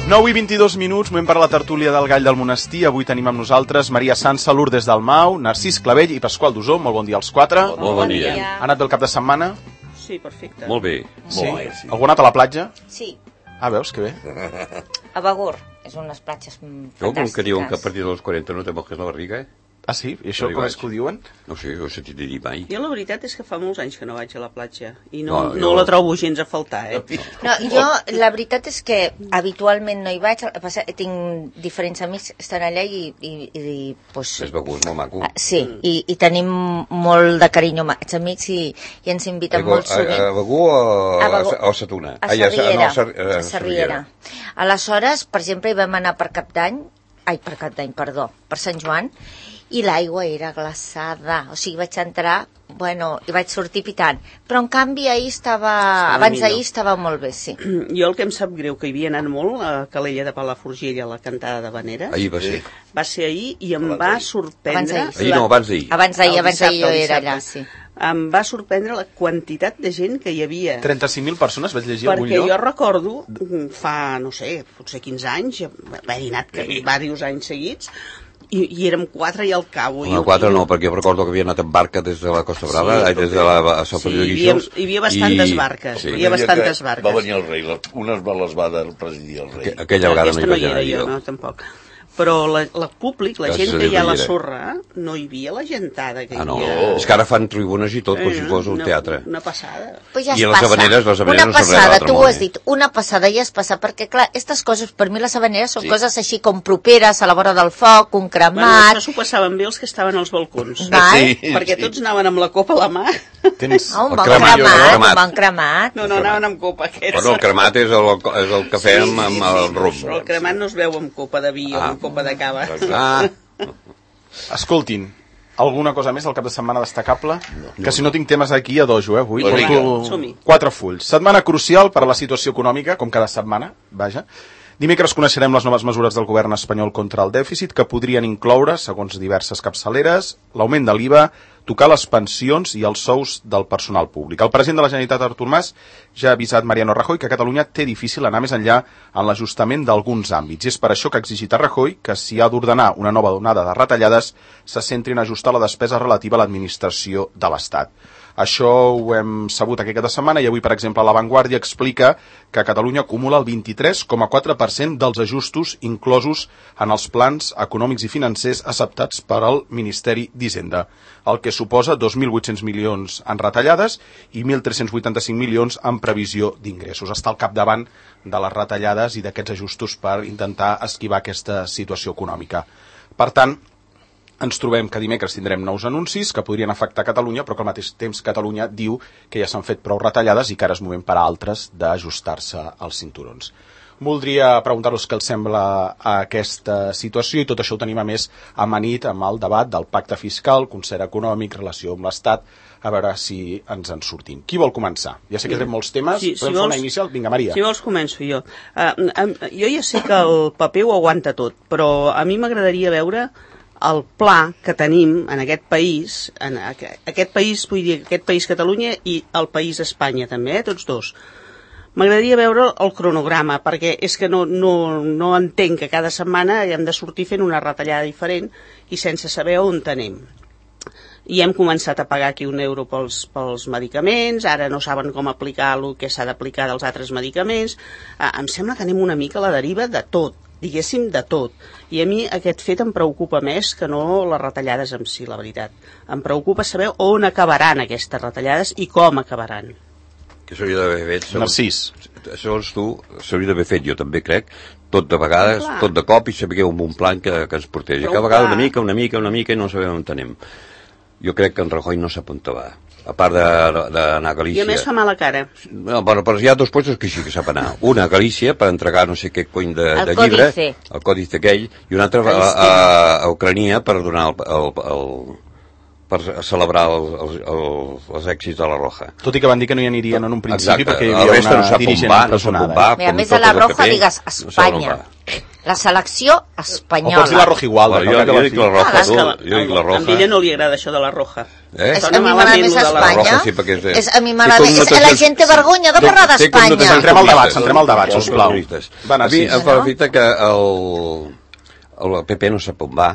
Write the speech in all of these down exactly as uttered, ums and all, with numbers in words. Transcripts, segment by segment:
nou i vint-i-dos minuts, moment per a la tertúlia del Gall del Monestir. Avui tenim amb nosaltres Maria Sansa, Lourdes Dalmau, Narcís Clavell i Pasqual Dusó. Molt bon dia als quatre. Molt bon, bon dia. Ha anat bé el cap de setmana? Sí, perfecte. Molt bé. Sí? Molt bé, sí. Algú ha anat a la platja? Sí. Ah, veus, que bé. A Begur, és unes platges fantàstiques. Jo, com que diuen que a partir dels quaranta no te mojes la barriga, eh? Ah, sí? I això com és que ho diuen? No sé, ho he sentit dir mai. Jo la veritat és que fa molts anys que no vaig a la platja i no, No, no, jo- la trobo gens a faltar, eh? No, jo, la veritat és que habitualment no hi vaig, el que passa, tinc diferents amics que estan allà i... i, i pues, És Begur, és molt maco. ah, sí, i, i tenim molt de carinyo amb aquests amics i, i ens inviten Begur, molt sovint. A, a Begur o A Begur. a, a Sa Tuna? A Ai, Sarriera, no, a Sar- a Sarriera. Aleshores, per exemple, hi vam anar per Cap d'Any, ai, per Cap d'Any, perdó, per Sant Joan, i l'aigua era glaçada, o sigui, vaig entrar, bueno, i vaig sortir pitant, però en canvi ahir estava, Estava abans millor. d'ahir estava molt bé, sí. Jo el que em sap greu, que hi havia anat molt a Calella de Palafrugell a la cantada de Vanera, Ahir va ser. va ser ahir i em va sorprendre... Abans Ahir no, abans d'ahir. Abans d'ahir, El abans d'ahir jo dissabte, el era allà, dissabte. sí. Em va sorprendre la quantitat de gent que hi havia. trenta-cinc mil persones, vaig llegir algun Perquè lloc? jo recordo, fa, no sé, potser quinze anys, haver-hi anat diversos anys seguits, i, i érem quatre i al cabo. No, quatre no, perquè jo recordo que havia anat en barca des de la Costa Brava, Sí, ai, des de la a Sant Sí, Feliu de hi havia, Guíxols. hi havia bastantes barques, hi havia bastantes barques. Va venir el rei, la- unes les va de presidir el rei. Aqu- Aquella vegada no Aquesta hi no vaig hi era anar jo, jo. no, tampoc. Però la, la públic, la Gràcies gent a que Déu hi ha a no la hi era. sorra, no hi havia la gentada que hi Ah, no, havia. és que ara fan tribunes i tot, com si fos un Una- teatre. Una passada. Pues ja I es les passa. havaneres, les havaneres una no són res passada, d'altre tu ho món, has eh? dit, una passada ja es passa, perquè clar, aquestes coses, per mi les havaneres són Sí. coses així com properes, a la vora del foc, un Bueno, cremat... això s'ho passaven bé els que estaven als balcons. Val? Sí. Perquè tots anaven amb la copa a la mà. Tens Ah, un El bon cremat, cremat, el cremat. un bon cremat. No, no, anaven amb copa aquests. Bueno, el cremat és el, és el cafè amb, amb el rum. Però el cremat no es veu amb copa de vi o Ah. amb copa de cava. Ah, Escoltin, alguna cosa més al cap de setmana destacable? No. Que si no tinc temes aquí a dojo, eh, avui. Pues vinga, Porto som-hi. quatre fulls. Setmana crucial per a la situació econòmica, com cada setmana, vaja. Dimecres coneixerem les noves mesures del govern espanyol contra el dèficit, que podrien incloure, segons diverses capçaleres, l'augment de l'I V A, tocar les pensions i els sous del personal públic. El president de la Generalitat, Artur Mas, ja ha avisat Mariano Rajoy que Catalunya té difícil anar més enllà en l'ajustament d'alguns àmbits. I és per això que ha exigit a Rajoy que, si ha d'ordenar una nova onada de retallades, se centrin a ajustar la despesa relativa a l'administració de l'Estat. Això ho hem sabut aquesta setmana i avui, per exemple, La Vanguardia explica que Catalunya acumula el vint-i-tres coma quatre per cent dels ajustos inclosos en els plans econòmics i financers acceptats per al Ministeri d'Hisenda, el que suposa dos mil vuit-cents milions en retallades i mil tres-cents vuitanta-cinc milions en previsió d'ingressos. Està al capdavant de les retallades i d'aquests ajustos per intentar esquivar aquesta situació econòmica. Per tant, ens trobem que dimecres tindrem nous anuncis que podrien afectar Catalunya, però que al mateix temps Catalunya diu que ja s'han fet prou retallades i que ara és moment per a altres d'ajustar-se als cinturons. Voldria preguntar-vos què els sembla aquesta situació i tot això ho tenim a més amanit amb el debat del pacte fiscal, concert econòmic, relació amb l'Estat, a veure si ens en sortim. Qui vol començar? Ja sé que tenen molts temes, Sí, podem si fer vols- una inicial? Vinga, Maria. Si vols començo jo. Uh, um, jo ja sé que el paper ho aguanta tot, però a mi m'agradaria veure el pla que tenim en aquest país, en aqu- aquest país, vull dir, aquest país Catalunya i el país Espanya també, eh, tots dos. M'agradaria veure el cronograma, perquè és que no, no, no entenc que cada setmana hem de sortir fent una retallada diferent i sense saber on anem. I hem començat a pagar aquí un euro pels, pels medicaments, ara no saben com aplicar el que s'ha d'aplicar dels altres medicaments. Ah, em sembla que anem una mica a la deriva de tot, diguéssim de tot. I a mi aquest fet em preocupa més que no les retallades en si, la veritat. Em preocupa saber on acabaran aquestes retallades i com acabaran. que s'hauria d'haver fet... segons- Narcís. Segons tu, s'hauria d'haver fet, jo també crec, tot de vegades, Clar. tot de cop i saber un bon plan que, que ens portés. I Però cada vegada clar. una mica, una mica, una mica i no sabem on anem. Jo crec que en Rajoy no sap on va. A part de- d'anar a I Galícia... a més fa mala cara. No, bueno, però hi ha dos puestos que sí que sap anar. Una a Galícia per entregar no sé què cony de, El de llibre, còdice. el còdice aquell, i una altra a, a, a Ucrania per donar el, el, el, per celebrar el, el, el, els èxits de la Roja. Tot i que van dir que no hi anirien en un principi Exacte. perquè hi El havia resta una no sap on dirigent va, no sap on empresonada. va. Mira, a com més de tot la el Roja P P, digues no sap on Espanya. va. La selecció O espanyola. pots dir la roja igual. Bueno, jo, jo dic la roja, Ah, tu, jo dic la A roja. ella no li agrada això de la roja. Eh? És, Sona a mi m'agrada malament més lo de la Espanya. roja, sí, perquè és- és, a mi té m'agrada més. connotacions- La gent té vergonya de parlar Té d'Espanya. connotacions Centrem el debat, comunistes. centrem el debat, sisplau. Comunistes. Va, A mi Narcís. em fa l'efecte que el, el P P no sap on va.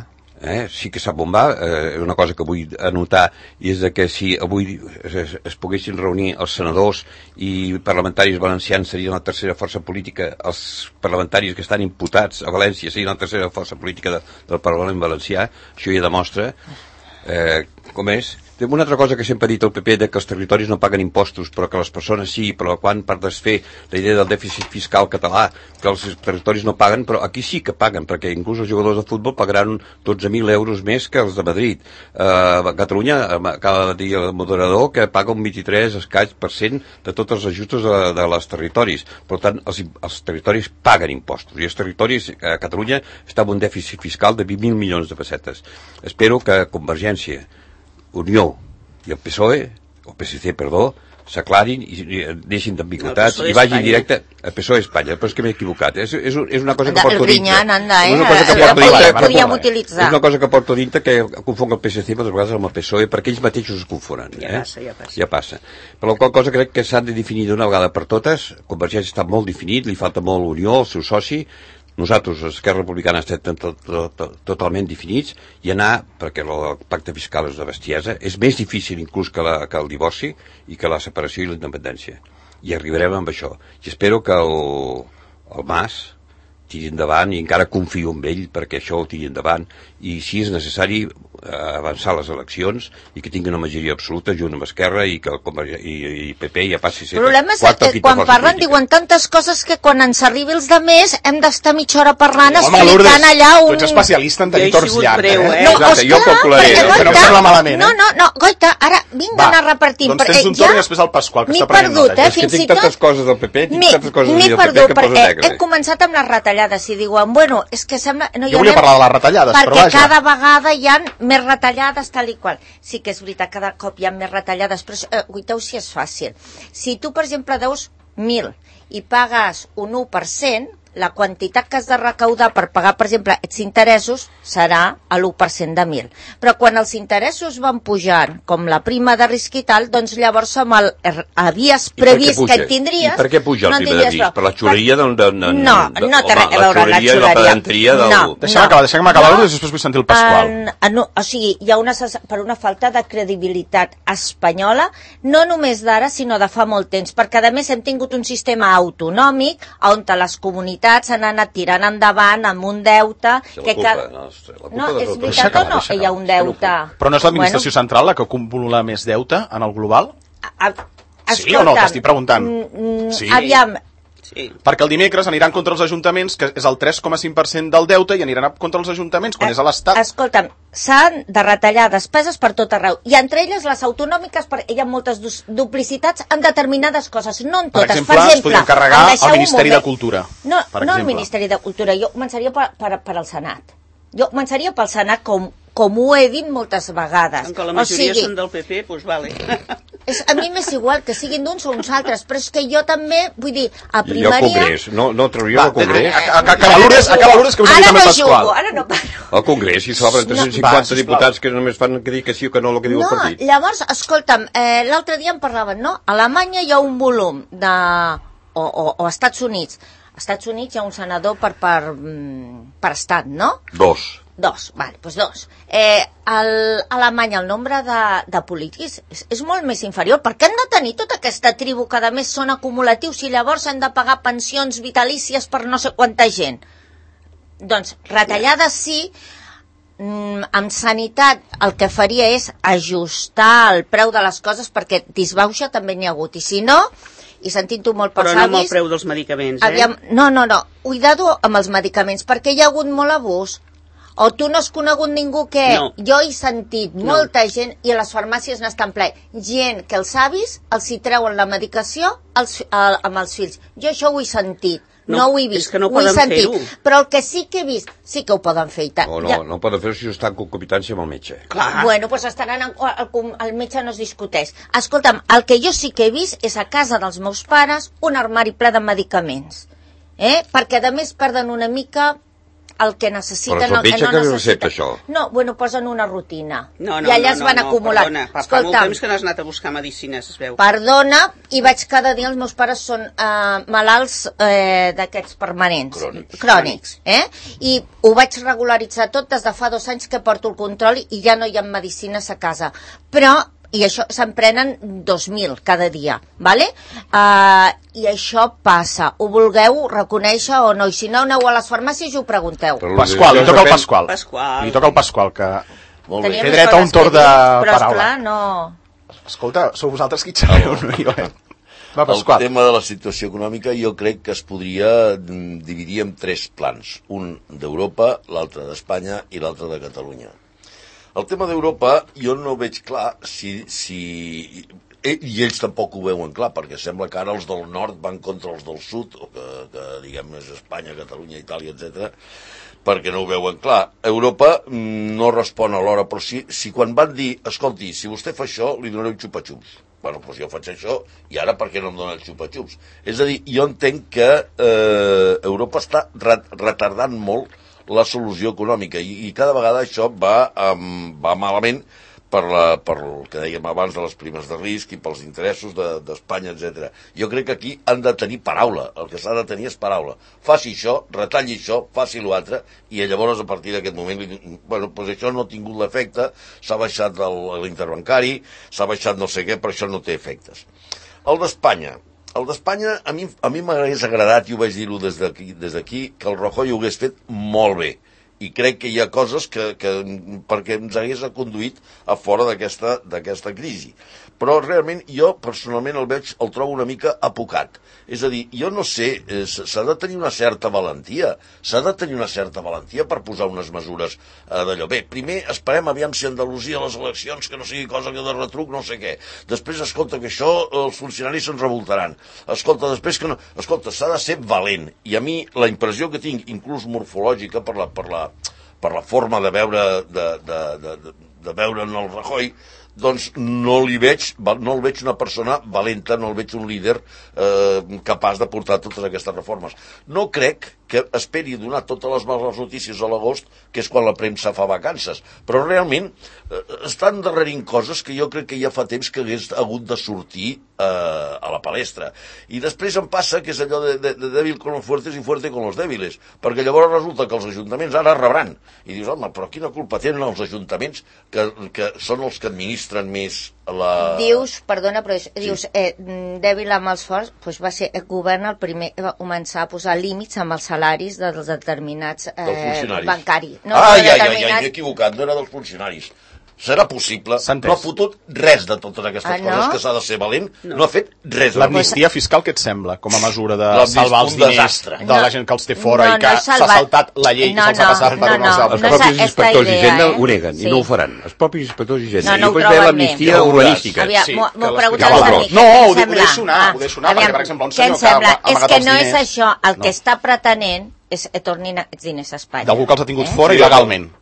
Eh? Sí que sap on va, eh, una cosa que vull anotar i és de que si avui es, es, es poguessin reunir els senadors i parlamentaris valencians serien la tercera força política, els parlamentaris que estan imputats a València serien la tercera força política de, del Parlament valencià, això ja demostra eh, com és. Té una altra cosa que sempre ha dit el P P, de que els territoris no paguen impostos, però que les persones sí, però quan per desfer la idea del dèficit fiscal català, que els territoris no paguen, però aquí sí que paguen, perquè inclús els jugadors de futbol pagaran dotze mil euros més que els de Madrid. Eh, a Catalunya acaba de dir el moderador que paga un vint-i-tres escaig per cent de tots els ajuts de, de les territoris. Per tant, els, els territoris paguen impostos, i els territoris a Catalunya està amb un dèficit fiscal de vint mil milions de pessetes. Espero que Convergència, Unió i el P S O E, o P S C, perdó, s'aclarin i deixin d'ambigüitats i vagin directe al P S O E Espanya, però és que m'he equivocat. És, és, és una cosa que El porto dintre. Grinyán, anda, eh? És una cosa que El porto podíem- dintre. podíem utilitzar. És una cosa que porto dintre que confon el P S C moltes vegades amb el P S O E perquè ells mateixos es confonen. Ja eh? passa, ja passa. Ja passa. Per la qual cosa crec que s'han de definir d'una vegada per totes. Convergència està molt definit, li falta molt Unió, el seu soci. Nosaltres, Esquerra Republicana, estem tot, tot, tot, totalment definits i anar, perquè el pacte fiscal és de bestiesa, és més difícil inclús que, la, que el divorci i que la separació i la independència. I arribarem amb això. I espero que el, el Mas tiri endavant, i encara confio en ell perquè això ho tiri endavant, i si és necessari avançar les eleccions i que tingui una majoria absoluta junt amb Esquerra i que el Convergència i, i P P ja passi a ser El problema és quarta o que quinta quan força parlen política. diuen tantes coses que quan ens arribi els de més hem d'estar mitja hora parlant Home, explicant Lourdes, allà tu un... ets especialista en Jo he tenir torns sigut llargs, breu, eh? eh? No, Exacte, jo Òscar, calcularé, perquè, eh? Que no em sembla malament, eh? No, no, no, Goita, ara vinga a anar repartint. Doncs tens perquè un torn i després el Pasqual, que m'he està prenent perdut, nota. eh? És que Fins tinc i tot... tantes coses del P P, tinc M'he tantes coses m'he del P P perdut, que poso perquè negre. he començat amb les retallades i diuen, bueno, és que sembla... No, Jo volia parlar de les retallades, però perquè vaja. cada vegada hi ha més retallades, tal i qual. Sí que és veritat, cada cop hi ha més retallades, però eh, guiteu si és fàcil. Si tu, per exemple, deus mil i pagues un u per cent, la quantitat que has de recaudar per pagar, per exemple, aquests interessos serà a l'u per cent de mil. Però quan els interessos van pujant, com la prima de risc i tal, doncs llavors amb el havies I per què previst puja? que et tindries... I per què puja el no en prima de tindries risc? prou. Per la xuleria del... del, del No, del- no té home, res a veure la xuleria i la xuleria. pedanteria del... No. Deixa'm acabar, deixa'm acabar, no. Després vull sentir el Pasqual. En, en, o sigui, hi ha una, per una falta de credibilitat espanyola, no només d'ara, sinó de fa molt temps, perquè a més hem tingut un sistema autonòmic on les comunitats han anat tirant endavant amb un deute Sí, la que culpa, cada... no, ostres, la culpa No, dels és altres. Deixa veritat o acabar, no? deixa Hi ha acabar. un deute... Però no és l'administració central la que acumula més deute en el global? A, a, Sí o no? T'estic preguntant. Mm, Sí. sí. Aviam, Sí. Perquè el dimecres aniran contra els ajuntaments, que és el tres coma cinc per cent del deute, i aniran a- contra els ajuntaments, quan és a l'Estat. escolta'm, s'han de retallar despeses per tot arreu, i entre elles les autonòmiques, perquè hi ha moltes dus- duplicitats en determinades coses, no en Per totes. exemple, es podria encarregar em deixeu al un Ministeri moment. de Cultura, No, per no al exemple. Ministeri de Cultura, jo començaria per, per, per al Senat. Jo començaria pel Senat, com, com ho he dit moltes vegades. Com que la majoria o sigui, són del P P, doncs vale. és, a mi m'és igual que siguin d'uns o uns altres, però és que jo també, vull dir, a I al primària... Congrés, no, no trauria Va, el Congrés. a- a- Acaba Lourdes, acaba Lourdes, que us he dit Ara també el no Pasqual. jugo, ara no parlo. Al Congrés, si s'obren tres-cents Va, cinquanta sisplau. diputats que només fan que dir que sí o que no el que diu No, el partit. llavors, escolta'm, eh, l'altre dia em parlaven, no? A Alemanya hi ha un volum de... o, o, o a Estats Units. A Estats Units hi ha un senador per, per, mm, per estat, no? Dos. Dos, vale, doncs dos. Eh, el, a Alemanya el nombre de, de polítics és, és molt més inferior. Per què han de tenir tota aquesta tribu que a més són acumulatius i llavors han de pagar pensions vitalícies per no sé quanta gent? Doncs retallades sí, mm, amb sanitat el que faria és ajustar el preu de les coses perquè disbauxa també n'hi ha hagut. I si no, i sentint-ho molt pels Però no amb el avis... preu dels medicaments, eh? Aviam, no, no, no, cuidado amb els medicaments, perquè hi ha hagut molt abús. O tu no has conegut ningú que... No. Jo he sentit molta gent, i a les farmàcies n'estan ple, gent que els avis els hi treuen la medicació als, a, amb els fills. Jo això ho he sentit, no, No, no ho he vist, és que no ho he poden sentit. fer-ho. Però el que sí que he vist, sí que ho poden fer i tant. No, no, Ja- no poden fer-ho si estan en concopitància amb el metge. Clar. Bueno, doncs estaran en, el, el metge no es discuteix. Escolta'm, el que jo sí que he vist és a casa dels meus pares un armari ple de medicaments. Eh? Perquè a més perden una mica el que necessiten... Però és el metge no que necessita. recepta això. No, bueno, posen una rutina. No, no, I allà no, es no, van no, acumulant. Perdona, fa Escolta, molt temps que no has anat a buscar medicines, es veu. Perdona, i vaig cada dia, els meus pares són eh, malalts eh, d'aquests permanents. Crònics. Crònics, eh? I ho vaig regularitzar tot des de fa dos anys que porto el control i ja no hi ha medicines a casa. Però i això se'n prenen dos mil cada dia, ¿vale? Uh, i això passa, ho vulgueu reconèixer o no, i si no aneu a les farmàcies i ho pregunteu. Pasqual, li toca el Pasqual. Pasqual. Li toca el Pasqual, que Molt bé. Tenia té més dret a un coses torn que de dir, però, paraula. esclar, no... Escolta, sou vosaltres qui xerreu, no jo, eh? Va, El Pasqual. tema de la situació econòmica jo crec que es podria mm, dividir en tres plans. Un d'Europa, l'altre d'Espanya i l'altre de Catalunya. El tema d'Europa jo no veig clar si... si i ells tampoc ho veuen clar, perquè sembla que ara els del nord van contra els del sud, o que, que diguem és Espanya, Catalunya, Itàlia, etcètera, perquè no ho veuen clar. Europa no respon alhora, però si, si quan van dir, escolti, si vostè fa això, li donaré un xupa-xups. Bueno, doncs jo faig això, i ara per què no em dona el xupa-xups? És a dir, jo entenc que eh, Europa està retardant molt la solució econòmica, i, i cada vegada això va, um, va malament, per, la, per el que dèiem abans de les primes de risc i pels interessos d'Espanya, de, etcètera. Jo crec que aquí han de tenir paraula, el que s'ha de tenir és paraula. Faci això, retalli això, faci l'altre, i llavors a partir d'aquest moment, bueno, doncs això no ha tingut l'efecte, s'ha baixat l'interbancari, s'ha baixat no sé què, però això no té efectes. El d'Espanya. El d'Espanya, a mi a mi m'hagués agradat, i ho vaig dir-ho des d'aquí, des d'aquí, que el Rajoy ho hagués fet molt bé. I crec que hi ha coses que, que perquè ens hagués conduït a fora d'aquesta d'aquesta crisi. Però realment jo personalment el veig, el trobo una mica apocat. És a dir, jo no sé, eh, s'ha de tenir una certa valentia, s'ha de tenir una certa valentia per posar unes mesures eh, d'allò. Bé, primer esperem aviam si Andalusia a les eleccions, que no sigui cosa que de retruc, no sé què. Després, escolta, que això els funcionaris se'n revoltaran. Escolta, després que no... Escolta, s'ha de ser valent. I a mi la impressió que tinc, inclús morfològica, per la, per la, per la forma de veure, de, de, de, de, de veure en el Rajoy, doncs no li veig, no el veig una persona valenta, no el veig un líder eh, capaç de portar totes aquestes reformes. No crec que esperi donar totes les males notícies a l'agost, que és quan la premsa fa vacances, però realment eh, estan darrerint coses que jo crec que ja fa temps que hagués hagut de sortir eh, a la palestra. I després em passa que és allò de, de, de dèbil con los fuertes i fuerte con los débiles, perquè llavors resulta que els ajuntaments ara rebran. I dius, home, però quina culpa tenen els ajuntaments que, que són els que administren més la... Dius, perdona, però és, sí. dius, eh, dèbil amb els forts, doncs va ser el govern el primer va començar a posar límits amb els salaris dels determinats eh, bancaris. No, ah, ja, ja, ja, m'he equivocat, no era dels funcionaris. Serà possible, no ha fotut res de totes aquestes ah, no? coses, que s'ha de ser valent, no, no ha fet res. L'amnistia fiscal, què et sembla, com a mesura de salvar els diners desastre. de la gent que els té fora no, i que no s'ha saltat la llei no, i se'ls no, ha passat per no, unes no, els no, propis no, inspectors d'Hisenda eh? ho neguen, sí. i no ho faran. Els propis inspectors d'Hisenda. No, no I després ve l'amnistia urbanística. M'ho preguntat una mica. No, ho deixo anar, ho deixo anar, perquè, per exemple, un senyor que ha amagat els diners... És que no és això, el que està pretenent és que tornin els diners a Espanya. D'algú que els ha tingut fora il·legalment.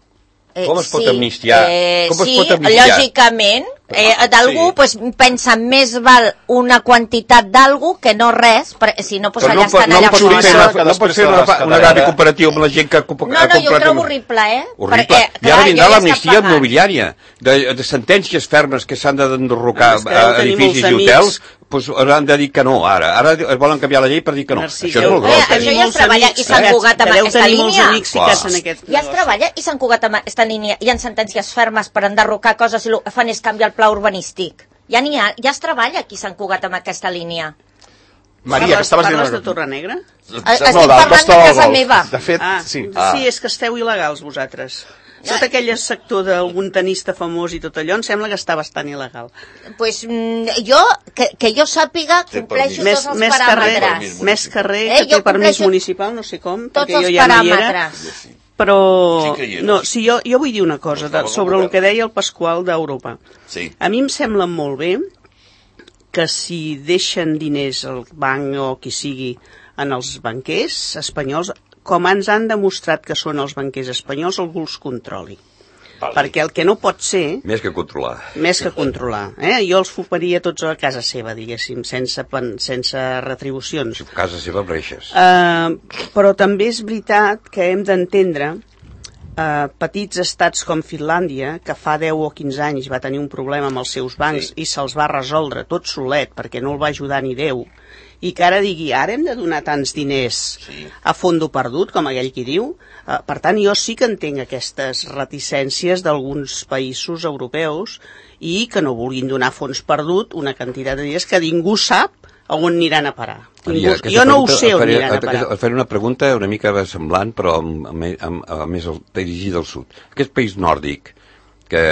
Eh, com es pot sí, amnistiar? Eh, com es sí, pot amnistiar? lògicament, eh, d'algú sí. pues, pensa més val una quantitat d'algú que no res, per, si no pues, allà no, estan no allà pot fora. Una, no pot ser una, una grave comparativa amb la gent que ha comprat... No, no, jo ho trobo horrible, eh? Horrible. Perquè, I ara vindrà l'amnistia immobiliària, de, de sentències fermes que s'han d'enderrocar a edificis i hotels, pues hauran de dir que no, ara. Ara es volen canviar la llei per dir que no. Narcís, això és molt gros. Eh, això ja es treballa i s'han cugat amb aquesta línia. Ja es treballa i s'han cugat amb aquesta línia. Hi ha sentències fermes per enderrocar coses i el que fan és canviar el pla urbanístic. Ja n'hi ha, ja es treballa qui s'han cugat amb aquesta línia. Maria, que estaves dient... Parles de Torrenegra? Estic parlant de casa meva. De fet, ah, sí. Sí, és que esteu il·legals vosaltres. Tot aquell sector d'algun tenista famós i tot allò, em sembla que està bastant il·legal. Pues jo, que, que jo sàpiga, compleixo tots els més paràmetres. Carrer, més carrer, eh, que té permís municipal, no sé com, perquè jo ja no hi era. Però, no, sí, jo, jo vull dir una cosa de, sobre el que deia el Pasqual d'Europa. Sí. A mi em sembla molt bé que si deixen diners al banc o qui sigui en els banquers espanyols, com ens han demostrat que són els banquers espanyols, algú els controli. Vale. Perquè el que no pot ser... Més que controlar. Més que controlar. Eh? Jo els foparia tots a casa seva, diguéssim, sense, sense retribucions. A casa seva breixes. Uh, però també és veritat que hem d'entendre uh, petits estats com Finlàndia, que fa deu o quinze anys va tenir un problema amb els seus bancs, sí, i se'ls va resoldre tot solet perquè no el va ajudar ni Déu, i que ara digui, ara hem de donar tants diners, sí, a fondo perdut, com aquell qui diu. Uh, per tant, jo sí que entenc aquestes reticències d'alguns països europeus i que no vulguin donar fons perdut una quantitat de diners que ningú sap on aniran a parar. Ningú, Maria, jo no ho pregunta, sé on faré, aniran a parar. Et faré una pregunta una mica semblant, però amb, amb, amb, amb més dirigida al sud. Aquest país nòrdic que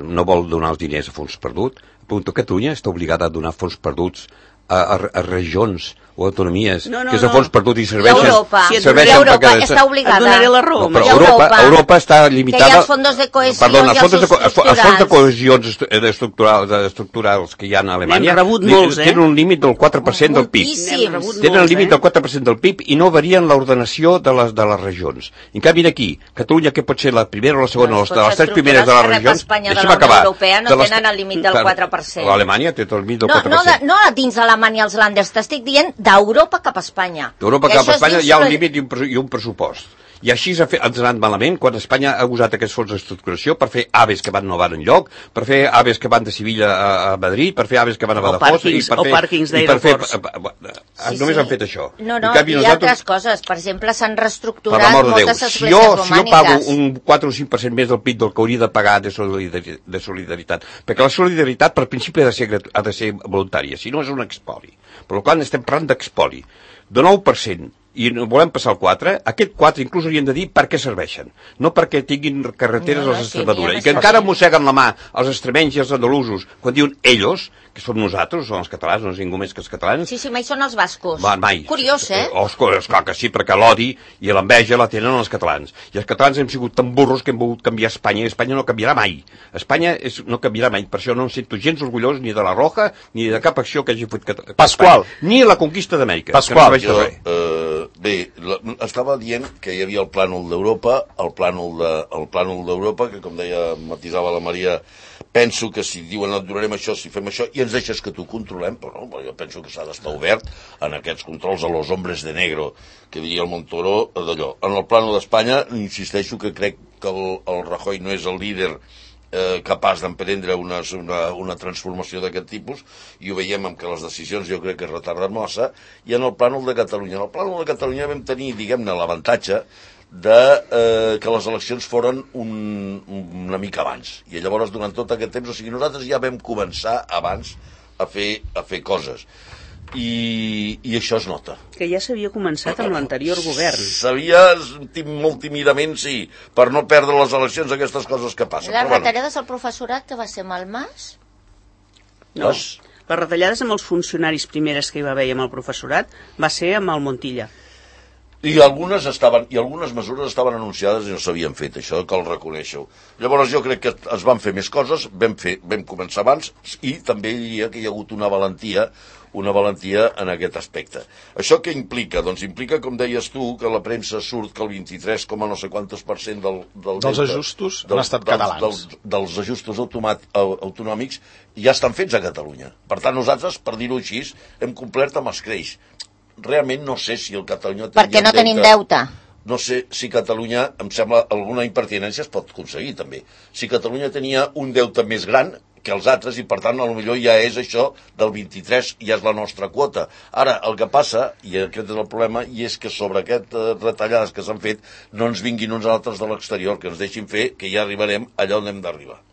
no vol donar els diners a fons perdut, pregunto, Catalunya està obligada a donar fons perduts A, a, a regions o autonomies, no, no, que és a fons perdut i serveixen... Europa, si serveixen Europa perquè... està obligada. Et donaré la raó. No, però Europa, Europa, Europa està limitada... Que hi ha els fondos de cohesió Perdona, i els els fons de, estructurals. els fons de cohesions estructurals, estructurals que hi ha a Alemanya molts, eh? tenen un límit del quatre per cent del P I B. Tenen el límit del quatre per cent del P I B i no varien l'ordenació de les, de les regions. En canvi, aquí, Catalunya, que pot ser la primera o la segona, Els de les tres primeres de les regions... Espanya de la Unió Europea no tenen el límit del quatre per cent. L'Alemanya té el límit del no, quatre per cent. No, no dins d'Alemanya els Länders, t'estic dient d'Europa cap a Espanya. D'Europa cap a Espanya hi ha un límit i un, i un pressupost. I així ens ha anat malament quan Espanya ha usat aquests fons d'estructuració per fer aves que van no van enlloc, per fer aves que van de Sevilla a, a Madrid, per fer aves que van a Badajoz i per o fer... pàrquings d'aeroports. Sí, només sí. han fet això. No, no, canvi, hi ha nosaltres, altres coses. Per exemple, s'han per reestructurat l'amor de Déu, moltes si esglésies jo, romàniques. si jo pago un quatre o cinc per cent més del P I B del que hauria de pagar de solidaritat, de solidaritat, perquè la solidaritat per principi ha de ser, ha de ser voluntària, si no és un expoli. Per tant, estem parlant d'expoli. De nou per cent i volem passar al quatre, aquest quatre inclús hauríem de dir per què serveixen, no perquè tinguin carreteres no, no, als sí, Extremadura, sí, i que encara mosseguen la mà els extremenys i els andalusos quan diuen ells, que som nosaltres, són els catalans, no és ningú més que els catalans. Sí, sí, mai són els bascos. Va, mai. Curiós, eh? Oh, esclar que sí, perquè l'odi i l'enveja la tenen els catalans. I els catalans hem sigut tan burros que hem volgut canviar Espanya, i Espanya no canviarà mai. Espanya és, no canviarà mai, per això no em sento gens orgullós ni de la Roja, ni de cap acció que hagi fet Pasqual. Espanya, ni la conquista d'Amèrica. Pasqual. No jo, eh, bé, la, estava dient que hi havia el plànol d'Europa, el plànol de, el plànol d'Europa, que com deia, matisava la Maria, penso que si diuen et donarem això, si fem això, i ens deixes que t'ho controlem, però no, jo penso que s'ha d'estar obert en aquests controls a los hombres de negro, que diria el Montoro, d'allò. En el plànol d'Espanya, insisteixo que crec que el, el Rajoy no és el líder eh, capaç d'emprendre una, una, una transformació d'aquest tipus, i ho veiem amb que les decisions jo crec que es retarden massa, i en el plànol de Catalunya. En el plànol de Catalunya vam tenir, diguem-ne, l'avantatge de eh, que les eleccions foren un, una mica abans, i llavors durant tot aquest temps, o sigui, nosaltres ja vam començar abans a fer, a fer coses, i, i això es nota. Que ja s'havia començat amb l'anterior govern. S'havia molt tímidament, sí, per no perdre les eleccions, aquestes coses que passen. Les però, retallades al professorat, que va ser amb el Mas? No, Les... les retallades amb els funcionaris primeres que hi va haver amb el professorat va ser amb el Montilla. I algunes estaven, i algunes mesures estaven anunciades i no s'havien fet, això cal reconèixer-ho. Llavors jo crec que es van fer més coses, vam, fer, vam començar abans, i també diria que hi ha hagut una valentia, una valentia en aquest aspecte. Això què implica? Doncs implica, com deies tu, que la premsa surt que el vint-i-tres coma no sé quantos per cent del, del dels deute, ajustos del, han estat dels, catalans. Dels, dels ajustos automat, autonòmics ja estan fets a Catalunya. Per tant, nosaltres, per dir-ho així, hem complert amb els creix. Realment no sé si el Catalunya... Perquè no tenim deute. No sé si Catalunya, em sembla, alguna impertinència es pot aconseguir, també. Si Catalunya tenia un deute més gran que els altres, i per tant, potser ja és això del vint-i-tres, ja és la nostra quota. Ara, el que passa, i aquest és el problema, i és que sobre aquestes retallades que s'han fet no ens vinguin uns altres de l'exterior, que ens deixin fer, que ja arribarem allà on hem d'arribar.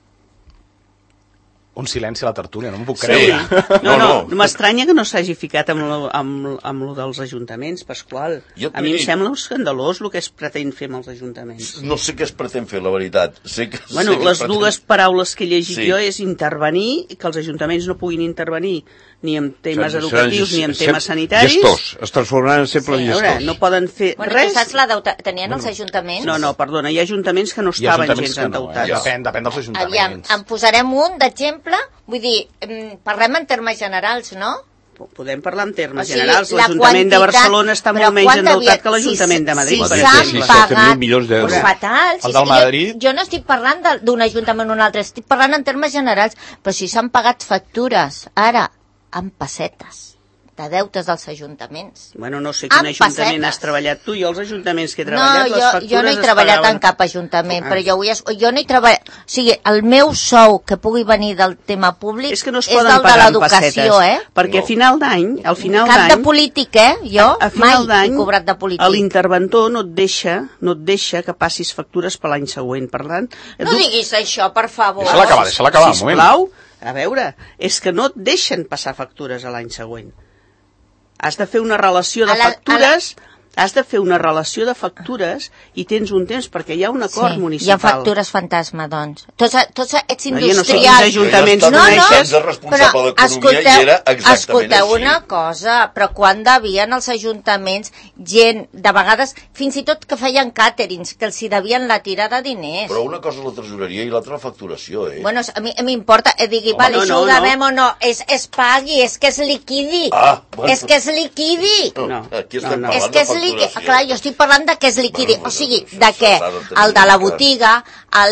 Un silenci a la tertúlia, no m'ho puc Sí. creure. No, no, no. no. M'estranya que no s'hagi ficat amb lo, amb, amb lo dels ajuntaments, Pasqual. Jo A mi em dic- sembla escandalós el que es pretén fer amb els ajuntaments. No sé què es pretén fer, la veritat. Sé que, Bueno, sé que les es pretén... dues paraules que he llegit Sí. jo és intervenir, que els ajuntaments no puguin intervenir ni en temes Seran- educatius seran ni en sem- temes sanitaris. Gestors, es transformaran sempre Sí. en A veure, gestors. no poden fer Bueno, res. tu saps la deuta... Tenien els ajuntaments? No, no, perdona, hi ha ajuntaments que no Hi ha estaven ajuntaments gens que no, eh? endeutats. Ja. Depèn, depèn dels Aviam, ajuntaments. en posarem un d'exemple. Vull dir, em, parlem en termes generals, no? podem parlar en termes O sigui, generals. la L'Ajuntament de quantitat- Barcelona està però molt menys quant endeutat devia- que l'Ajuntament si- de Madrid, si per s'han exemple. disset mil pagat, milions d'euros. Pues fatal. El Si del és que Madrid? Jo, jo no estic parlant de- d'un ajuntament o un altre, estic parlant en termes generals, però si s'han pagat factures, ara, en pessetes, de deutes dels ajuntaments. Bueno, no sé quin Amb ajuntament pessetes. has treballat tu. Jo els ajuntaments que he No, treballat, les jo, factures jo no he es treballat pagaven. en cap ajuntament, Ah. però jo, vull, es- jo no he treballat... O sigui, el meu sou que pugui venir del tema públic És que no es és poden del de pagar en l'educació, pessetes, eh? perquè a final d'any, al final Cap de d'any, polític, eh? Jo a final mai he d'any, cobrat de polític. l'interventor no et deixa, no et deixa que passis factures per l'any següent. Per tant, No tu- diguis això, per favor. Deixa-la acabar, deixa-la acabar, un moment. Sisplau, a veure, és que no et deixen passar factures a l'any següent. Has de fer una relació de A la- factures, has de fer una relació de factures i tens un temps perquè hi ha un acord Sí, hi ha municipal. factures fantasma, doncs. Tots, tots ets No, jo no sé quins industrials. ajuntaments Jo he estat coneixes. anys de responsable d'economia i era exactament escolteu així. una cosa, però quan devien els ajuntaments gent, de vegades, fins i tot que feien càterings, que els hi devien la tira de diners. Però una cosa és la tresoreria i l'altra la facturació, eh? Bueno, a mi m'importa, eh, digui, Home, vale, no, això no, ho no. devem o no, és, es pagui, és que es liquidi. Ah, bueno. És que es liquidi. No, Aquí no, estem no. parlant És que és de liqui... facturació. Clar, jo estic parlant de que és liquidi. Bueno, O sigui, això de que s'ha de tenir el de en la cas. botiga,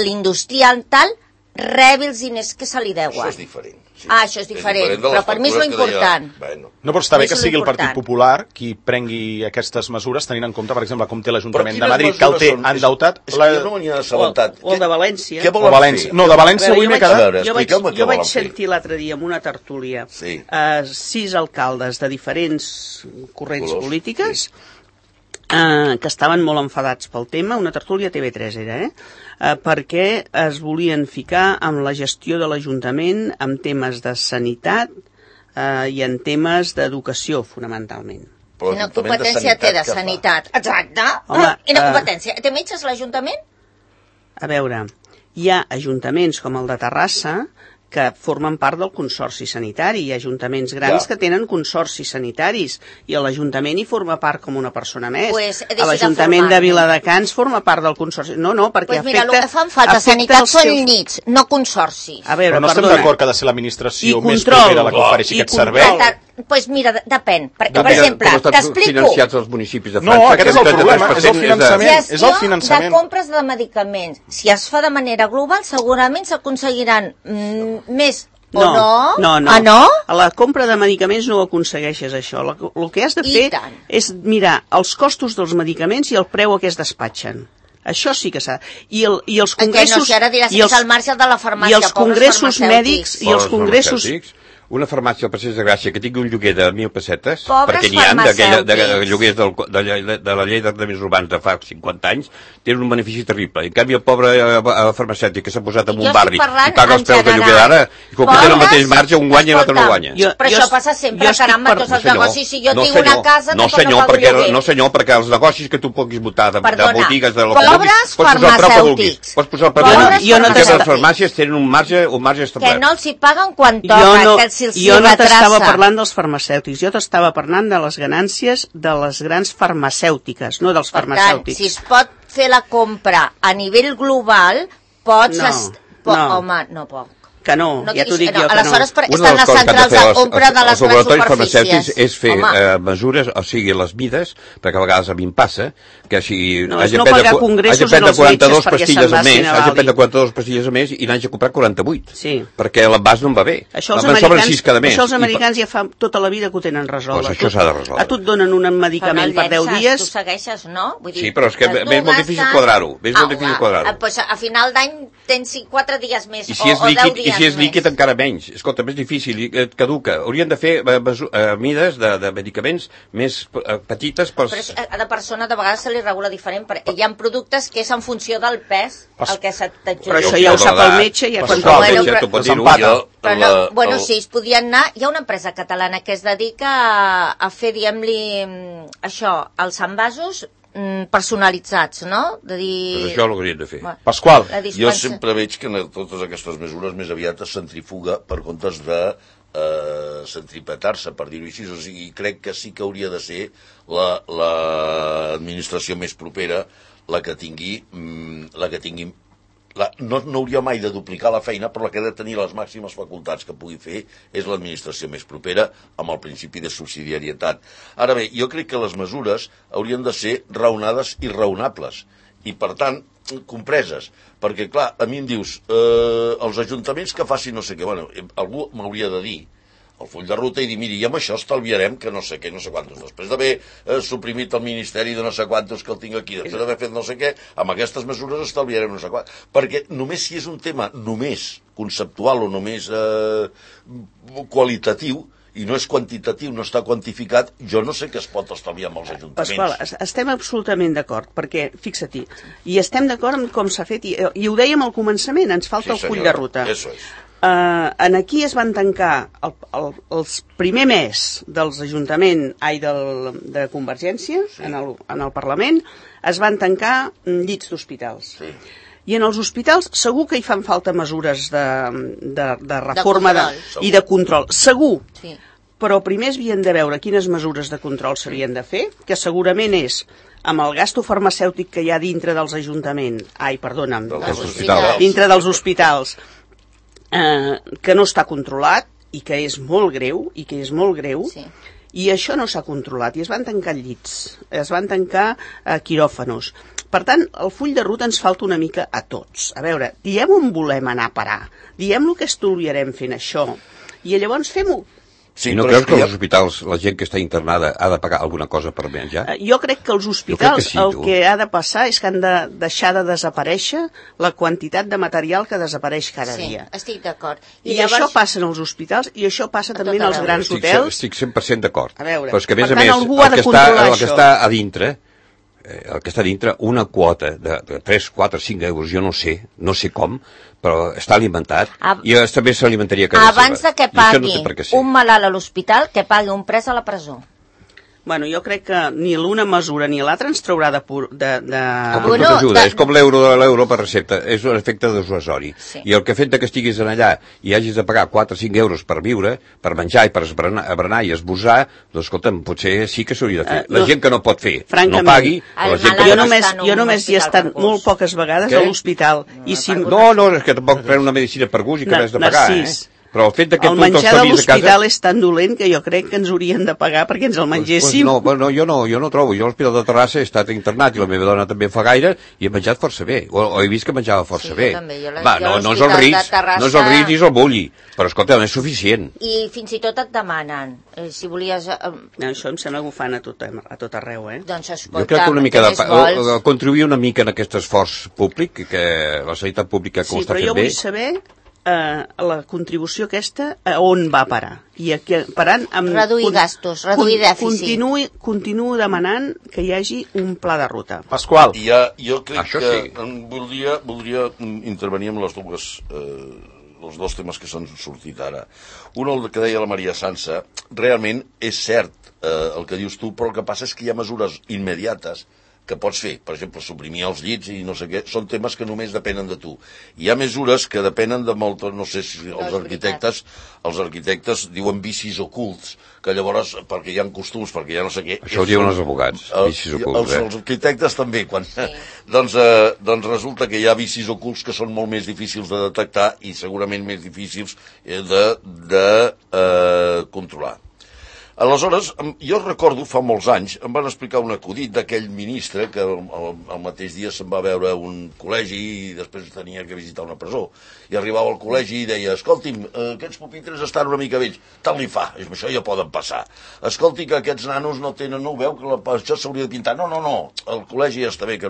l'industrial, tal, rebi els diners que se li deuen. Això és diferent. Sí. Ah, això és diferent, de les però per mi és lo factures que deia- important. Bueno. No, però està bé Això que és sigui el important. Partit Popular qui prengui aquestes mesures, tenint en compte, per exemple, com té l'Ajuntament de Però Madrid, quines que el té mesures són? endeutat. És que jo no me n'he assabentat. O- o el de València. Què O volen València. fer? No, de València A veure, avui m'he jo vaig- quedat... A veure, jo vaig, expliqueu-me què jo vaig volen fer. sentir l'altre dia en una tertúlia Sí. eh, sis alcaldes de diferents corrents Colors, polítiques eh, que estaven molt enfadats pel tema, una tertúlia T V tres era, eh? eh, perquè es volien ficar amb la gestió de l'Ajuntament en temes de sanitat eh, i en temes d'educació, fonamentalment. Però Quina l'Ajuntament de competència té de què fa? sanitat? Exacte. Home, Ah, Quina eh, competència? Té metges l'Ajuntament? A veure, hi ha ajuntaments com el de Terrassa que formen part del consorci sanitari. Hi ha ajuntaments grans Ja. que tenen consorcis sanitaris i l'Ajuntament hi forma part com una persona més. Pues, deixi de L'Ajuntament de formar-ne. Viladecans forma part del consorci. No, no, perquè Doncs pues mira, afecta... el que fan falta afecta sanitat els són seus- nits, no consorcis. A veure, Però no estem perdona. d'acord que ha de ser l'administració I més control. propera la que ofereixi I aquest control. servei. Doncs pues mira, de- depèn. Per, per Depèn exemple, com estan t'explico. financiats els municipis de No, França. aquest que és el un trenta-tres problema, per és el cent de- finançament. és el Gestió finançament. de compres de medicaments. Si es fa de manera global, segurament s'aconseguiran mm, més o no. no, no. Ah, no? A la compra de medicaments no ho aconsegueixes, això. La, el que has de I fer tant. és mirar els costos dels medicaments i el preu a què es despatxen. Això sí que s'ha... I, el, i els En què congressos... no, si ara diràs i que és el marge de la farmàcia, I els pobres congressos farmacèutics. mèdics i els Pobres congressos... farmacèutics. Una farmàcia al Passeig de Gràcia que tingui un lloguer de mil pessetes, Pobres perquè n'hi ha d'aquella- de, de, farmacèutics. lloguers del, de, la- de la llei d'arrendaments urbans de fa cinquanta anys, tenen un benefici terrible. En canvi, el pobre eh, eh, farmacèutic que s'ha posat en Jo un estic barri parlant i paga els en preus de lloguer general. d'ara, i com que té el Pobres- mateix marge, un guanya i l'altre no Escolta, guanya. Jo- Però jo això es- passa jo sempre, estic caramba, per- tots No, els senyor. negocis. Si jo no, tinc senyor. una casa, no, tampoc senyor, no pago perquè, lloguer. no, senyor, perquè els negocis que tu puguis votar de, de Perdona, botigues, de lo pobres que vulguis, pots posar el preu que vulguis. farmacèutics. Pots posar el preu Pobres que vulguis. Jo no Perquè t'estava- les farmàcies tenen un marge, un marge Que establert. no els hi paguen quan Jo toca, no, que se'ls jo no retrassa. t'estava parlant dels farmacèutics, jo t'estava parlant de les ganàncies de les grans farmacèutiques, no dels Per tant, farmacèutics. si es pot fer la compra a nivell global, pots... No, est- po no. Home, no puc. Que no, No ja t'ho diguis- dic jo que no. aleshores, per- Una estan de les les coses que han de centrals fer de els, compra de les els laboratoris grans farmacèutics superfícies. és fer Home. eh, mesures, o sigui, les mides, perquè a vegades a mi em passa, que si No, hagi és de no prendre, pagar cu- congressos hagi de prendre en els quaranta-dos metges perquè pastilles se'n al mes, vagin a hagi de Bali. prendre quaranta-dos pastilles al mes i n'hagi de comprar quaranta-vuit. Sí. Perquè l'envàs no em va bé. Això els, Me'n sobren americans, sis cada mes. això els I pa- americans ja fa tota la vida que ho tenen resolt. Pues A això tu- s'ha de resoldre. A tu et donen un medicament per deu Tu dies... segueixes, no? Vull Sí, però és que les m'és molt dues difícil estan- quadrar-ho, m'és molt Ah, difícil ah, quadrar-ho. ah, Pues a final d'any tens cinc- quatre dies més I si és o, o deu líquid, i dies si és líquid més. encara menys. Escolta, més difícil, i et caduca. Haurien de fer eh, mesu- eh, mides de, de medicaments més eh, petites pels... Però és- a cada persona de vegades se li regula diferent, perquè hi ha productes que és en funció del pes el que se Però això t'adjudica. ja ho sap el Però metge, ja Però quan això el Bueno, metge però- t'ho pot Els dir-ho. empata. Jo, Però no, la- bueno, el- sí, es podien anar... Hi ha una empresa catalana que es dedica a, a fer, diguem-li, mm, això, els envasos mm, personalitzats, no? De dir... Pues això ho haurien de fer. Bueno, Pasqual, la Jo dispensa- sempre veig que en totes aquestes mesures més aviat es centrifuga per comptes de eh, centripetar-se, per dir-ho així. O sigui, crec que sí que hauria de ser l'administració la, més propera la que tingui, mm, la que tingui la, no, no hauria mai de duplicar la feina, però la que ha de tenir les màximes facultats que pugui fer és l'administració més propera amb el principi de subsidiarietat. Ara bé, jo crec que les mesures haurien de ser raonades i raonables i, per tant, compreses, perquè, clar, a mi em dius eh, els ajuntaments que facin no sé què, bueno, algú m'hauria de dir el full de ruta i dir, miri, i amb això estalviarem que no sé què, no sé quantos. Després d'haver eh, suprimit el Ministeri de no sé quantos que el tinc aquí, després d'haver fet no sé què, amb aquestes mesures estalviarem no sé quantos. Perquè només si és un tema només conceptual o només eh, qualitatiu, i no és quantitatiu, no està quantificat, jo no sé què es pot estalviar amb els ajuntaments. Pasqual, estem absolutament d'acord, perquè, fixa-t'hi, i estem d'acord amb com s'ha fet, i, i ho dèiem al començament, ens falta sí, el full de ruta. Eso és. Uh, en aquí es van tancar el, el, els primer mes dels ajuntaments, ai, del, de Convergència, sí. en, el, en el Parlament, es van tancar llits d'hospitals. Sí. I en els hospitals segur que hi fan falta mesures de, de, de reforma de de, i de control. Segur. Sí. Però primer es havien de veure quines mesures de control s'havien de fer, que segurament és amb el gasto farmacèutic que hi ha dintre dels ajuntaments, ai, perdona'm, dels hospitals. dintre dels hospitals, eh, que no està controlat i que és molt greu, i que és molt greu, sí. I això no s'ha controlat, i es van tancar llits, es van tancar eh, quiròfanos. Per tant, el full de ruta ens falta una mica a tots. A veure, diem on volem anar a parar, diem el que estudiarem fent això, i llavors fem-ho. Sí, I no creus que als hospitals la gent que està internada ha de pagar alguna cosa per menjar? Jo crec que els hospitals que sí, el que ha de passar és que han de deixar de desaparèixer la quantitat de material que desapareix cada sí, dia. Sí, estic d'acord. I, I llavors... això passa en els hospitals i això passa també en els grans estic, hotels. Estic cent per cent d'acord. A veure, però és que, a més per a tant, més, algú ha de controlar això. El que està a dintre... el que està dintre, una quota de, de tres, quatre, cinc euros, jo no sé, no sé com, però està alimentat, a... i també s'alimentaria cada abans de que pagui no sé un malalt a l'hospital, que pagui un pres a la presó. Bueno, jo crec que ni l'una mesura ni l'altra ens traurà de... Pur, de, de... Com bueno, ajuda, de... és com l'euro de l'euro per recepta, és un efecte desuasori. Sí. I el que fet que estiguis allà i hagis de pagar quatre o cinc euros per viure, per menjar i per esbranar, berenar i esbossar, doncs escolta'm, potser sí que s'hauria de fer. Uh, la no, gent que no pot fer, no pagui, la gent que jo només, jo només hi he estat molt poques vegades Què? a l'hospital. No, I si... no, no, és que tampoc pren una medicina per gust i que no, has de pagar, Narcís. eh? Però el fet que el menjar de l'hospital és tan dolent que jo crec que ens haurien de pagar perquè ens el mengéssim. Pues, pues no, no, jo no, jo no trobo. Jo a l'Hospital de Terrassa he estat internat i la meva dona també fa gaire i he menjat força bé. O, o he vist que menjava força sí, bé. També, la, Va, no, no és el Ritz, Terrassa... no és el Ritz i és el Bulli. Però escolta, no és suficient. I fins i tot et demanen, eh, si volies... Eh, no, això em sembla que ho fan a tot, a tot arreu, eh? Doncs escolta, jo crec que una mica de, vols... contribuir una mica en aquest esforç públic, que la sanitat pública que sí, ho està fent bé. Sí, però jo vull saber... Uh, la contribució aquesta a on va parar i aquí, parant amb reduir con, gastos, reduir dèficit continuï, continuo demanant que hi hagi un pla de ruta. Pasqual, ja, jo crec Això que sí. voldria, voldria intervenir amb les dues eh, els dos temes que s'han sortit ara. Un, el que deia la Maria Sansa, realment és cert eh, el que dius tu, però el que passa és que hi ha mesures immediates que pots fer, per exemple, suprimir els llits i no sé què, són temes que només depenen de tu. Hi ha mesures que depenen de molt, no sé si els arquitectes, els arquitectes diuen vicis ocults, que llavors, perquè hi ha costums, perquè hi ha no sé què... Això ho diuen els advocats, vicis ocults, els, eh? Els arquitectes també, quan... Sí. doncs, eh, doncs resulta que hi ha vicis ocults que són molt més difícils de detectar i segurament més difícils de, de eh, controlar. Aleshores, jo recordo, fa molts anys, em van explicar un acudit d'aquell ministre que el, el, el mateix dia se'n va veure a un col·legi i després tenia que visitar una presó. I arribava al col·legi i deia, escolti'm, aquests pupitres estan una mica vells. Tant li fa, això ja poden passar. Escolti que aquests nanos no tenen, no ho veu, que la, això s'hauria de pintar. No, no, no, el col·legi ja està bé. Que...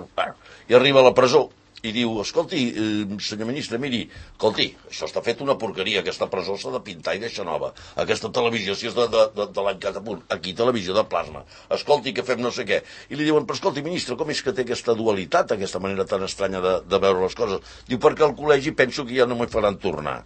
I arriba a la presó i diu, escolti, eh, senyor ministre, miri, escolti, això està fet una porqueria, aquesta presó s'ha de pintar i deixar nova. Aquesta televisió, si és de, de, de, de l'any catapunt, aquí televisió de plasma. Escolti, que fem no sé què. I li diuen, però escolti, ministre, com és que té aquesta dualitat, aquesta manera tan estranya de, de veure les coses? Diu, perquè al col·legi penso que ja no m'hi faran tornar.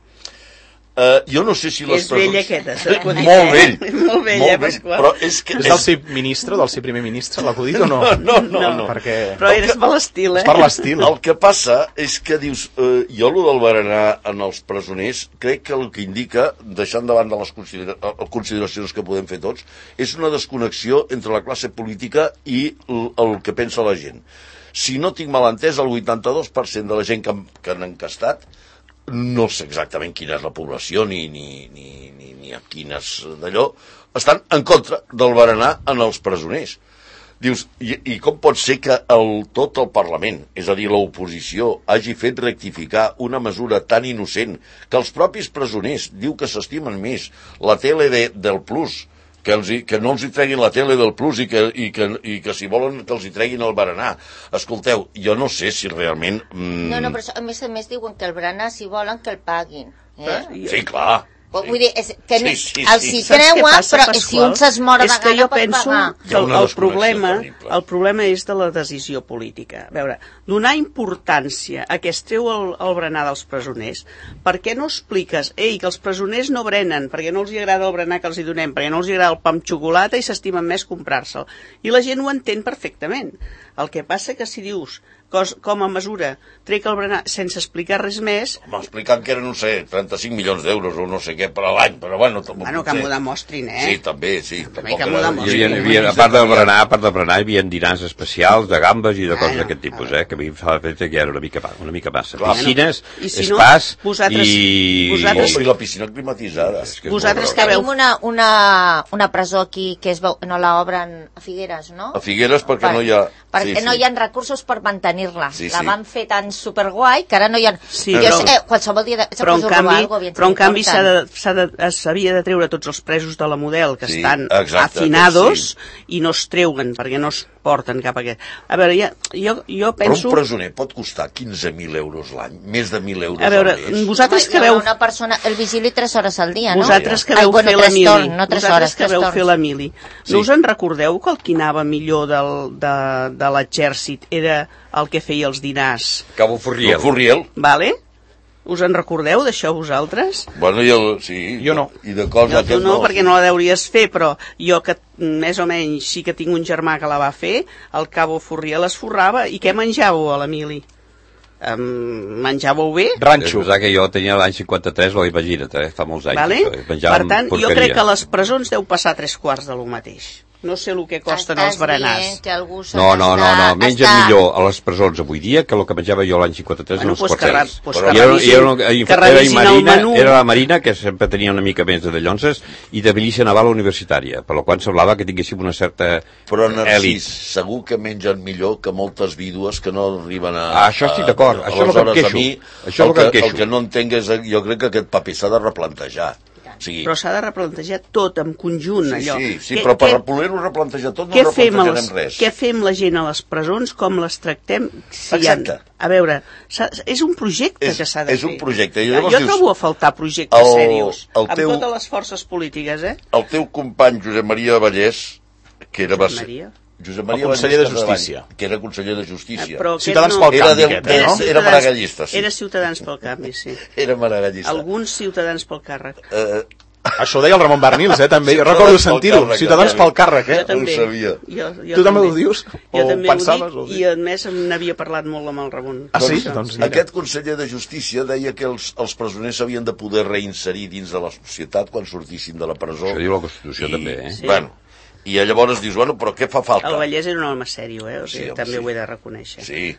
Uh, jo no sé si les és vell aquesta, l'acudit. Molt vell. Molt vell, molt eh, vell. Pasqual? Però és que... És del ser ministre, del ser primer ministre, l'acudit o no? No, no, no. no. Perquè... Però eres per l'estil, eh? És per l'estil. El que passa és que dius, eh, jo el del berenar en els presoners, crec que el que indica, deixant davant de les considera consideracions que podem fer tots, és una desconnexió entre la classe política i el, el que pensa la gent. Si no tinc mal entès, el vuitanta-dos per cent de la gent que, que han encastat, no sé exactament quina és la població ni, ni, ni, ni, ni a quines d'allò, estan en contra del berenar en els presoners. Dius, i, i com pot ser que el, tot el Parlament, és a dir, l'oposició, hagi fet rectificar una mesura tan innocent que els propis presoners diu que s'estimen més la tele de, del Plus, que, els, que no els hi treguin la tele del Plus i que, i que, i que si volen que els hi treguin el berenar. Escolteu, jo no sé si realment... Mm... No, no, però a més a més diuen que el berenar, si volen, que el paguin. Eh? Sí, clar. Vull dir, és que sí, sí, sí. els hi Saps què treuen, passa, però Pasqual? si un s'esmora de És que gana jo pot penso pagar. que el, Una el, problema, desconnexió el problema és de la decisió política. A veure, donar importància a que es treu el, el berenar dels presoners, per què no expliques, ei, que els presoners no brenen, perquè no els hi agrada el berenar que els hi donem, perquè no els hi agrada el pa amb xocolata i s'estimen més comprar-se'l. I la gent ho entén perfectament. El que passa que si dius, cos, com a mesura, trec el berenar sense explicar res més... M'explicant que eren, no sé, trenta-cinc milions d'euros o no sé què per a l'any, però bueno... Bueno, que m'ho demostrin, eh? Sí, també, sí. També que m'ho demostrin. Hi havia, hi havia, a part del berenar, a part del berenar, hi havia dinars especials de gambes i de coses d'aquest tipus, eh? Que a mi em fa l'efecte que era una mica, una mica massa. Clar. Piscines, I si no, espàs vosaltres- i... vosaltres- Oh, i la piscina climatitzada. És que és Vosaltres molt que veu... Tenim una, una, una presó aquí que es veu, no l'obren a Figueres, no? A Figueres perquè no hi ha... Perquè sí, no sí. hi ha recursos per mantenir-la. Sí, la sí. van fer tan superguai que ara no hi ha... Sí, jo però- sé, qualsevol dia de... Però en canvi, però en canvi s'ha de... de, s'ha de, s'havia de treure tots els presos de la Model que Sí, estan exacte, hacinados sí. i no es treuen perquè no es porten cap a aquest. A veure, ja, jo, jo Però penso... un presoner pot costar quinze mil euros l'any, més de mil euros A veure, al mes. vosaltres que veu... Una persona, el vigili tres hores al dia, no? Vosaltres que Ai, veu bueno, fer tres l'Emili, torn, no tres vosaltres hores, que tres veu torns. fer l'Emili, Sí. no us en recordeu que el qui anava millor del, de, de l'exèrcit era el que feia els dinars, Cabo El Furriel. Furriel, vale? Us en recordeu d'això vosaltres? bueno, i el... Sí, Jo no. I de cos No, tu aquest no, no. perquè no la deuries fer, però jo que mm, més o menys sí que tinc un germà que la va fer, el Cabo Furriel es forrava. I què menjàveu a l'Emili? Um, menjàveu bé? És Ranxo. veritat que jo tenia l'any cinquanta-tres, o imagina't, eh? Fa molts anys. Vale? Això, eh? Menjàvem Per tant, jo porqueria. crec que a les presons deu passar tres quarts de lo mateix. No sé el que costen els berenars. Que algú se No, no, no, no, n'està- mengen està- millor a les presons avui dia que el que menjava jo l'any cinquanta-tres Bueno, en els pues que quarters. re- pues I que era, revisin- i era, una- i que era, revisin el Marina, menú. era la Marina, que sempre tenia una mica més de dallonses, i de milícia naval universitària, per la qual semblava que tinguéssim una certa Però, Narcís, elit. segur que mengen millor que moltes vídues que no arriben a... Ah, això estic d'acord, a- això és el que em aleshores, queixo. a mi, Això és el el que em que, queixo. el que no entenc és... Jo crec que aquest paper s'ha de replantejar. O sigui, Però s'ha de replantejar tot en conjunt, sí, allò. sí, sí, Què- però per què- poder-ho replantejar tot no què fem, a replantejarem les, res. què fem la gent a les presons, com les tractem? Si hi ha- Exacte. a veure, s'ha- és un projecte És- que s'ha de és fer. un projecte. I Jo llavors dius, trobo a faltar projectes el- serios, el amb teu- totes les forces polítiques, eh? El teu company Josep Maria Vallès, que era... va Josep ser- Maria? Josep Maria El conseller Vallès de Capdevall, Justícia. que era conseller de Justícia. Eh, Però aquest Ciutadans no- pel Era canvi, de- aquest, de- eh, no? era Ciutadans- maragallista, sí. Era Ciutadans pel canvi, sí. Era maragallista. Alguns ciutadans pel càrrec. Eh, Això ho deia el Ramon Barnils, eh, també. Jo Ciutadans recordo pel sentir-ho. càrrec, Ciutadans també. pel càrrec, Jo eh? també. sabia. Jo, jo Tu també ho dius? Jo O també pensaves, ho o dic, sí? i a més n'havia parlat molt amb el Ramon. Ah, sí? Això. Doncs mira. Aquest conseller de Justícia deia que els, els presoners s'havien de poder reinserir dins de la societat quan sortissin de la presó. Això diu la Constitució I, també, eh? Sí. Bueno, i llavors dius, bueno, però què fa falta? El Vallès era un home sèrio, eh? O sigui, Sí, home, també sí. ho he de reconèixer. Sí.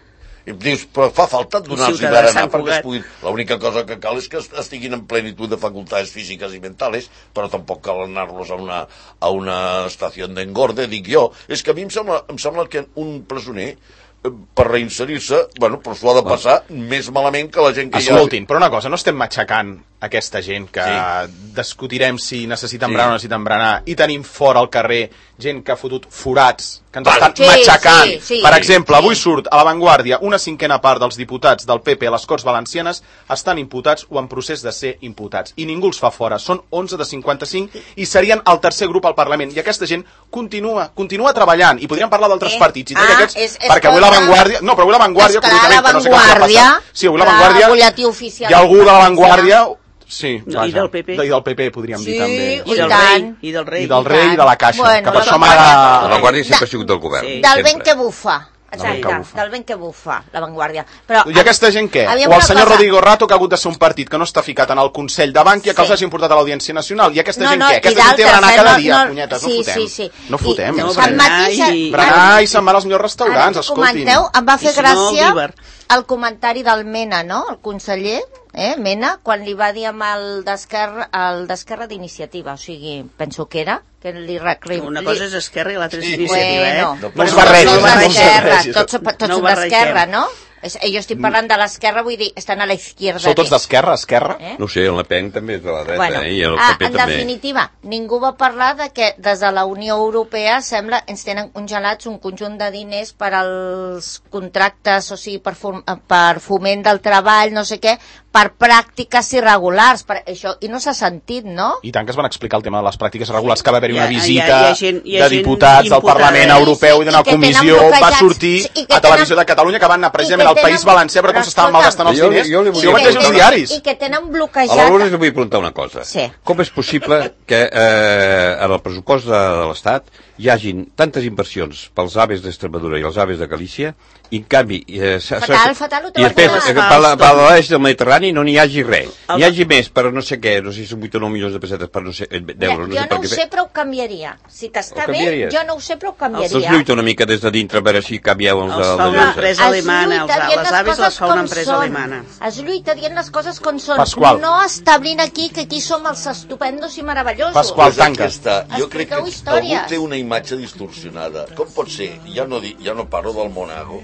I dius, però fa falta donar-los Ciutadans berenar Sant perquè es Cugat. puguin... L'única cosa que cal és que est- estiguin en plenitud de facultats físiques i mentales, però tampoc cal anar-los a una, a una estació d'engorde, dic jo. És que a mi em sembla, em sembla que un presoner, eh, per reinserir-se, bueno, però s'ho ha de passar més malament que la gent que Escoltin, però una cosa, no estem matxacant aquesta gent que Sí. discutirem si necessiten Sí. berenar o no necessiten berenar i tenim fora al carrer gent que ha fotut forats, que ens Vale. estan Sí, matxacant. sí, sí. per exemple, Sí. avui surt a l'avantguàrdia una cinquena part dels diputats del P P a les Corts Valencianes estan imputats o en procés de ser imputats. I ningú els fa fora. Són onze de cinquanta-cinc i serien el tercer grup al Parlament. I aquesta gent continua continua treballant. I podríem parlar d'altres Eh? partits. I Ah, aquests, és- és perquè avui cosa- l'avantguàrdia... No, però avui l'avantguàrdia... Esclar, curiosament, que no sé què els ha l'Avantguàrdia, passat. Sí, avui clar, l'avantguàrdia... butlletí oficial Hi ha algú de l'avantguàrdia... Sí, No, i del P P. I del P P, podríem Sí, dir, també. I del tant. rei, i del rei. I del rei i de la Caixa, Bueno, que per la això Vanguardia- La Vanguardia sempre ha sigut del govern. Sí. Del vent sempre. que bufa. Del vent que Exacte, bufa. del vent que bufa, la Vanguardia. Però, I aquesta gent què? aviam O el una senyor cosa. Rodrigo Rato, que ha hagut de ser un partit que no està ficat en el Consell de Bànquia, que Sí. els hagi portat a l'Audiència Nacional. I aquesta No, gent no, què? i Aquesta gent té d'altres, berenar eh, cada no, dia, no, punyetes, no sí, fotem. sí, sí. No fotem. I- no no, fotem. el mateix... i- Berenar i se'n van als millors Ara restaurants, que escoltin. comenteu, em va I fer si no, gràcia Viver. el comentari del Mena, no?, el conseller, eh, Mena, quan li va dir amb el d'Esquerra, el d'Esquerra d'Iniciativa, o sigui, penso que era, que li recrim... Una cosa és Esquerra i l'altra és Sí. Iniciativa, Bueno, eh? No us però barregis, tots no us d'Esquerra, barregis. tots, tots No ho són d'Esquerra, barregem. no? És, jo estic parlant de l'Esquerra, vull dir, estan a la izquierda. Sou tots d'Esquerra, Esquerra? Eh? No ho sé, el Le Pen també és de la dreta, Bueno, eh? I el ah, P P en també. definitiva, ningú va parlar de que des de la Unió Europea sembla ens tenen congelats un conjunt de diners per als contractes, o sigui, per, fom per foment del treball, no sé què, per pràctiques irregulars, per això, i no s'ha sentit, no? I tant que es van explicar el tema de les pràctiques regulars, que va haver-hi Hi ha- una hi ha- visita hi ha gent- hi ha de gent diputats del imputada. Parlament Sí, Europeu sí, i d'una i que tenen comissió, va bloquejats, sortir sí, i que a Televisió tenen- de Catalunya que van anar precisament i al que País tenen- Valencià per com però s'estaven escolta'm, malgastant els Jo li- diners. jo li I volia ho han I vist que als preguntar- diaris. I que tenen A bloquejat... la Lourdes li vull preguntar una cosa. Sí. Com és possible que eh, en el pressupost de, de l'Estat hi hagin tantes inversions pels aves d'Extremadura i els aves de Galícia i en canvi... Eh, Fatal, fatal, ho I després, trobaràs. eh, per la- per l'est del Mediterrani no n'hi hagi res. El- N'hi hagi més per no sé què, no sé si són vuit o nou milions de pessetes per no sé, eh, d'euros, no jo sé per no ho què. sé, però ho canviaria. Si t'està Ho bé, canviaries? jo no ho sé, però ho Doncs canviaria. lluita una mica des de dintre a veure si canvieu els, Els els, fa els, una els, empresa Es alemana, lluita els, dient les les aves coses les fa una com empresa són. alemana. Es lluita dient les coses com són. Pasqual. No establint aquí que aquí som els estupendos i meravellosos. Pasqual, És el tanca. que està. Jo crec que Expliqueu històries. algú té una imatge distorsionada. Com pot ser? Ja no, di, ja no parlo del Monago,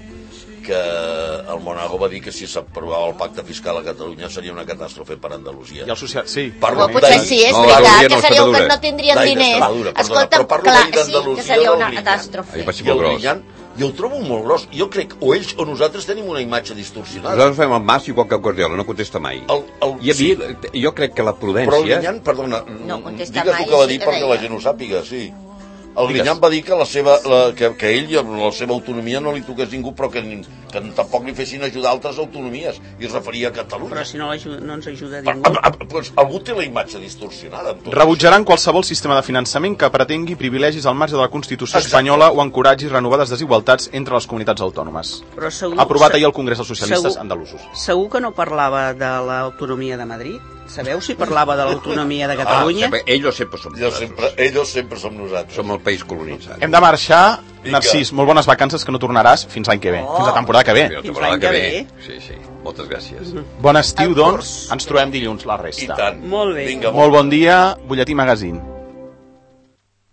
que el Monago va dir que si s'aprovava el pacte fiscal a Catalunya seria una catàstrofe per Andalusia. I el social... Sí. Parlo Però potser sí, és No, veritat, Andalusia que no, seria que Extremadura. no tindrien D'Ai, diners. d'Extremadura, perdona, Escolta, però parlo clar, d'ahir sí, d'Andalusia, que seria del una Grinyán. catàstrofe. Ahir va ser I el molt gros. Grinyán, jo ho trobo molt gros. Jo crec, o ells o nosaltres tenim una imatge distorsionada. Nosaltres fem el mas igual que el Guardiola, no contesta mai. El, el, I a mi, sí, jo crec que la però el prudència... Grinyán, perdona, No contesta digues mai, el que va sí dir que perquè deia. la gent ho sàpiga, sí. El Digues. Grinyán va dir que, la seva, la, que, que ell i amb la seva autonomia no li toqués ningú, però que, ni- que tampoc li fessin ajudar altres autonomies, i es referia a Catalunya. Però si no, l'aju- no ens ajuda Ah, ningú. ah, ah, doncs algú té la imatge distorsionada. Amb tot Rebutjaran qualsevol sistema de finançament que pretengui privilegis al marge de la Constitució Exacte. espanyola o encoratgi renovades desigualtats entre les comunitats autònomes. Però segur, Aprovat se- ahir al Congrés dels Socialistes segur- andalusos. Segur que no parlava de l'autonomia de Madrid? Sabeu si parlava de l'autonomia de Ah, Catalunya? sempre, ells sempre som Jo sempre, nosaltres. ells sempre som nosaltres. Som el país colonitzat. Hem de marxar. Vinga. Narcís, molt bones vacances, que no tornaràs fins l'any que ve. Fins la temporada que ve. La Fins temporada l'any que que ve. Sí, sí. Moltes gràcies. Bon estiu, El doncs. curs. Ens trobem dilluns, la I resta. tant. Molt bé. Vinga, Molt bon dia, Butlletí Magazine.